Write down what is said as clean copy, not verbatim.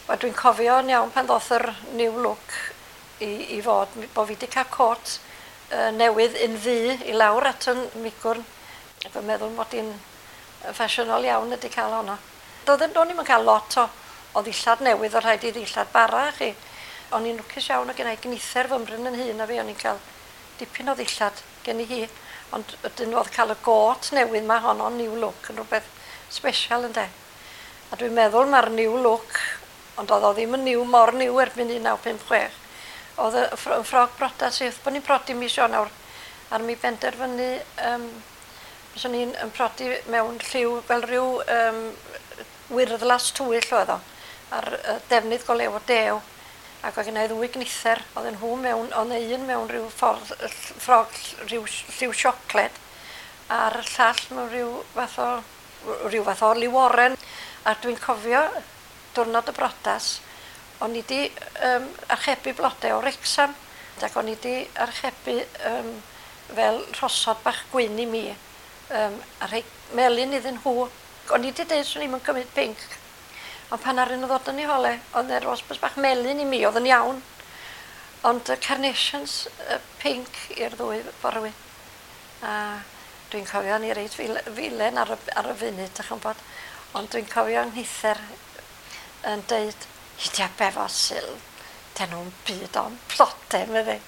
Wel, dwi'n cofio yn iawn pan ddoth yr new look i fod, bo fi 'di cael cot newydd un ddu i lawr at yn migwrn. Ac yn meddwl mod i'n ffasiynol iawn ydi cael honno. Doedden, o'n i'm yn cael lot o ddillad newydd, o rhaid i ddillad bara chi. O'n i'n lwcus iawn o gennau gnither fymryn yn hŷn na fi, o'n i'n cael dipyn o ddillad gen i hi. Ond ydyn oedd cael y got newydd ma honno, new look, yn rhywbeth special ynde. A dwi'n meddwl mae'r new look, ond oedd o ddim yn new mor new erbyn 1956. Oedd y ffrog brodas i wrth bod ni'n prodi mis Ionawr, a'r mi benderfynu, fyswn i'n yn prodi mewn lliw fel rhyw wyrddlas tywyll oedd o, a'r defnydd go lew o dew. Ac oedd gennai ddwy gnither, oedden nhw mewn, oedd 'na un mewn rhyw ffordd, ffrog rhyw lliw siocled, a'r llall mewn rhyw fath o liw oren. A dwi'n cofio diwrnod y brodas, o'n i 'di archebu blode o Wrecsam, ac o'n i 'di archebu fel rhosod bach gwyn i mi, a rhai melyn iddyn nhw. O'n i 'di deud swn i'm yn cymryd pinc, ond pan aru nhw ddod yn ei hole, oedd 'na rosbus bach melyn i mi, oedd yn iawn. Ond y carnations pinc i'r ddwy forwyn. A dwi'n cofio ni reit filen ar y funud, dych chi'n gwbod. Ond dwi'n cofio nghnither yn deud, "Hidia be fo Sil, dyn nhw'n byd o'n blode," medde.